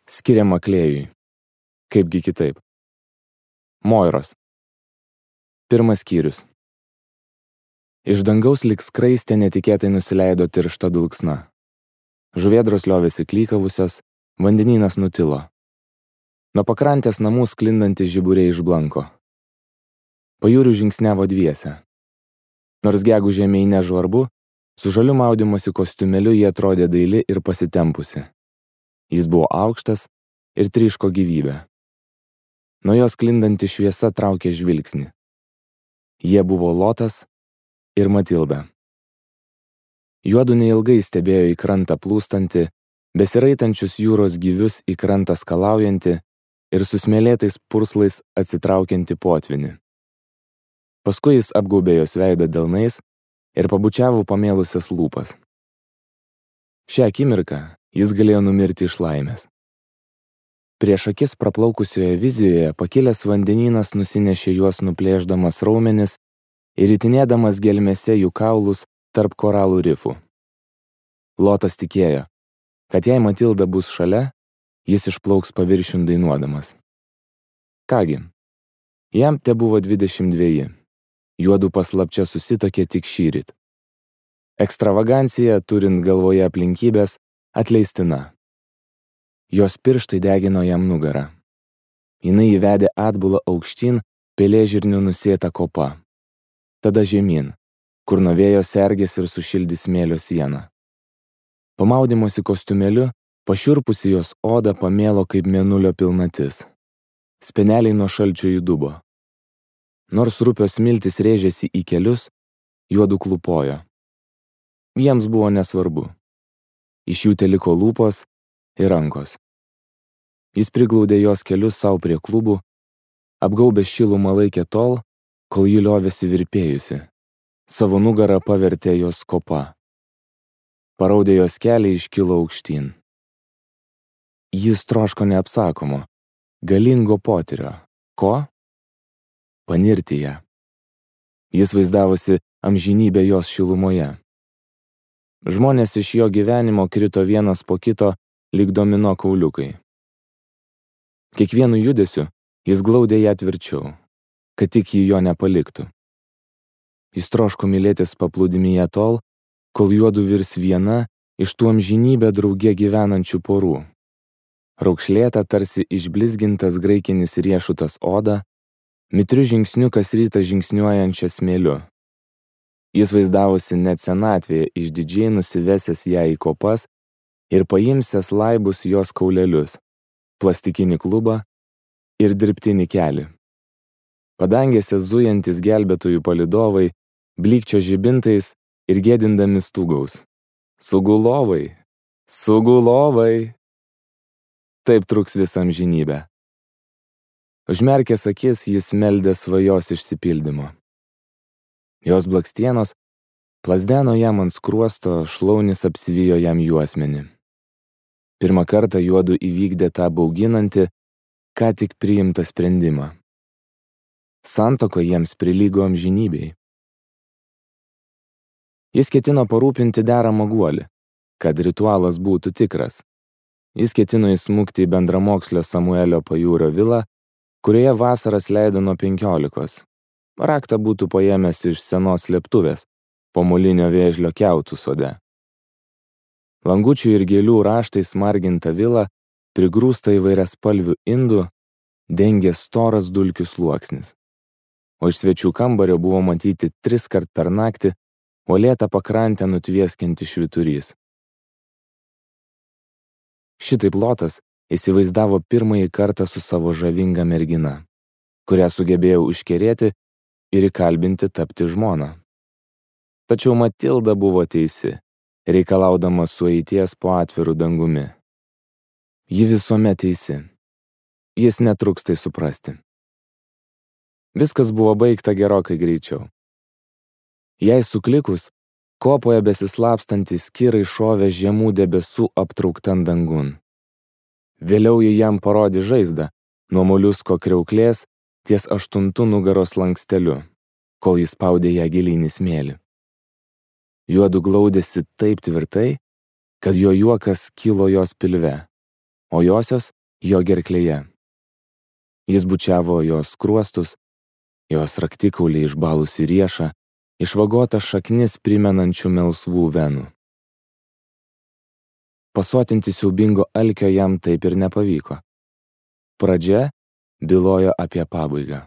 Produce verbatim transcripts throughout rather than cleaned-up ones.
skiriama Klėjui. Kaipgi kitaip. Moiros. Pirmas skyrius. Iš dangaus lyg skraistė netikėtai nusileido tiršta dulksna. Žuvėdros liovėsi klykavusios, vandenynas nutilo. Nuo pakrantės namų sklindantys žiburiai išblanko. Pajūrių žingsniavo dviese. Nors gegužė mei nežvarbu, su žaliu maudymosi kostiumeliu jie atrodė daili ir pasitempusi. Jis buvo aukštas ir tryško gyvybę. Nuo jos sklindanti šviesa traukė žvilgsnį. Jie buvo Lotas ir Matilda. Juodu neilgai stebėjo į krantą plūstantį, besiraitančius jūros gyvius į krantą skalaujantį ir su smėlėtais purslais atsitraukiantį potvinį. Paskui jis apgaubė jos veidą delnais ir pabučiavo pamėlusias lūpas. Šią akimirką jis galėjo numirti iš laimės. Prieš akis praplaukusioje vizijoje pakilęs vandenynas nusinešė juos nuplėšdamas raumenis ir ritinėdamas gelmėse jų kaulus tarp koralų rifų. Lotas tikėjo, kad jei Matilda bus šalia, jis išplauks paviršiun dainuodamas. Kągi, jam te buvo dvidešimt dveji. Juodu paslapčia susitokė tik šįryt. Ekstravagancija, turint galvoje aplinkybės, atleistina. Jos pirštai degino jam nugarą. Jinai įvedė atbulą aukštyn, pelėžirnių nusėta kopa. Tada žemyn, kur nuo vėjo sergės ir sušildys smėlio sieną. Pamaudimosi kostiumeliu, pašiurpusi jos oda pamėlo kaip mėnulio pilnatis. Speneliai nuo šalčio įdubo. Nors rupios smiltys rėžėsi į kelius, juodu klupojo. Jiems buvo nesvarbu. Iš jų teliko lūpos ir rankos. Jis priglaudė jos kelius savo prie klubų, apgaubė šilumą laikė tol, kol ji liovėsi virpėjusi. Savo nugarą pavertė jos kopa. Paraudė jos kelią iškilo aukštyn. Jis troško neapsakomo, galingo potyrio. Ko? Panirti ją. Jis vaizdavosi amžinybę jos šilumoje. Žmonės iš jo gyvenimo krito vienas po kito lyg domino kauliukai. Kiekvienu judesiu jis glaudė ją tvirčiau, kad tik jį jo nepaliktų. Jis troško mylėtis paplūdimyje tol, kol juodu virs viena iš tų amžinybę drauge gyvenančių porų. Raukšlėta tarsi išblizgintas graikinis riešutas oda, mitriu žingsniu kas rytą žingsniuojančią smėliu. Jis vaizdavosi net senatvėje išdidžiai nusivesęs ją į kopas ir paimsęs laibus jos kaulelius, plastikinį klubą ir dirbtinį kelį. Padangėse zujantis gelbėtojų palydovai, blykčio žibintais ir gėdindami stūgaus. Sugulovai, sugulovai. Taip truks visą amžinybę. Užmerkęs akis, jis meldė svajos išsipildymo. Jos blakstienos plazdeno jam ant skruosto, šlaunis apsivijo jam juosmenį. Pirmą kartą juodu įvykdė tą bauginantį, ką tik priimtą sprendimą. Santuoka jiems prilygo amžinybei. Jis ketino parūpinti deramą guolį, kad ritualas būtų tikras. Jis ketino įsmukti į bendramokslio Samuelio pajūrio vilą, kurioje vasaras leido nuo penkiolikos. Raktą būtų paėmęs iš senos slėptuvės, po molinio vėžlio kiautų sode. Langučių ir gėlių raštais marginta vila, prigrūsta įvairiaspalvių indų, dengė storas dulkių sluoksnis. O iš svečių kambario buvo matyti tris kart per naktį uolėtą pakrantę nutvieskinti švyturys. Šitaip Lotas įsivaizdavo pirmąjį kartą su savo žavinga mergina, kurią sugebėjo užkerėti ir įkalbinti tapti žmoną. Tačiau Matilda buvo teisi, reikalaudama sueities po atviru dangumi. Ji visuomet teisi. Jis netruks tai suprasti. Viskas buvo baigta gerokai greičiau. Jei suklikus, kopoje besislapstantys kirai šovė žemų debesų aptrauktan dangun. Vėliau ji jam parodė žaizdą nuo moliusko kriauklės ties aštuntu nugaros lanksteliu, kol jis spaudė ją gilyn į smėlį. Juodu glaudėsi taip tvirtai, kad jo juokas kilo jos pilve, o josios jo gerklėje. Jis bučiavo jos skruostus, jos raktikaulį išbalusi riešą, išvagota šaknis primenančių melsvų venų. Pasotinti siaubingo alkio jam taip ir nepavyko. Pradžia bylojo apie pabaigą.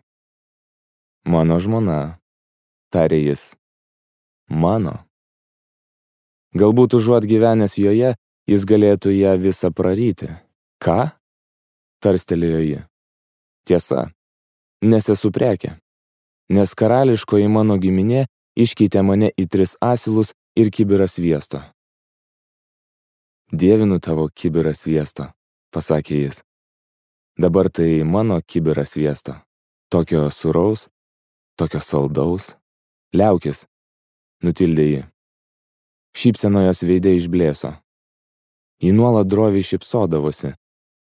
Mano žmona, tarė jis. Mano. Galbūt užuot gyvenęs joje, jis galėtų ją visą praryti. Ką? Tarstelėjo ji. Tiesa, nes esu prekė, nes karališkoji mano giminė iškeitė mane į tris asilus ir kibirą sviesto. Dievinu tavo kibirą sviesto, pasakė jis. Dabar tai mano kibiras sviesto. Tokio sūraus, tokio saldaus. Liaukis, nutildė ji. Šypsena jos veide išblėso. Ji nuolat droviai šypsodavosi,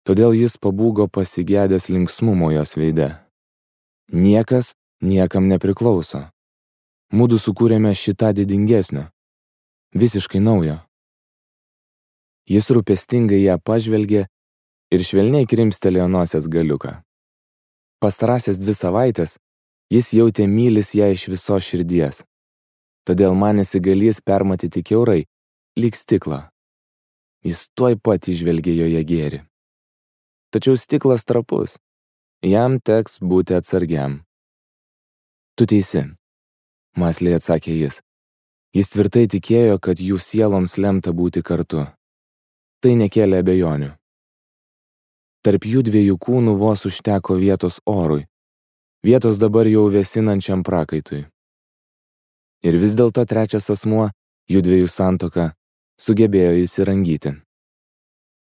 todėl jis pabūgo pasigedęs linksmumo jos veide. Niekas niekam nepriklauso. Mudu sukūrėme šitą didingesnio, visiškai naujo. Jis rūpestingai ją pažvelgė ir švelniai krimstelėjo nosies galiuką. Pastarąsias dvi savaitės jis jautė mylis ją iš visos širdies, todėl manėsi galės permatyti kiaurai, lyg stiklą. Jis tuoj pat įžvelgė joje gėrį. Tačiau stiklas trapus, jam teks būti atsargiam. Tu teisi, mąsliai atsakė jis. Jis tvirtai tikėjo, kad jų sieloms lemta būti kartu. Tai nekėlė abejonių. Tarp jų dviejų kūnų vos užteko vietos orui, vietos dabar jau vėsinančiam prakaitui. Ir vis dėlto trečias asmuo, jų dviejų santuoka, sugebėjo įsirangyti.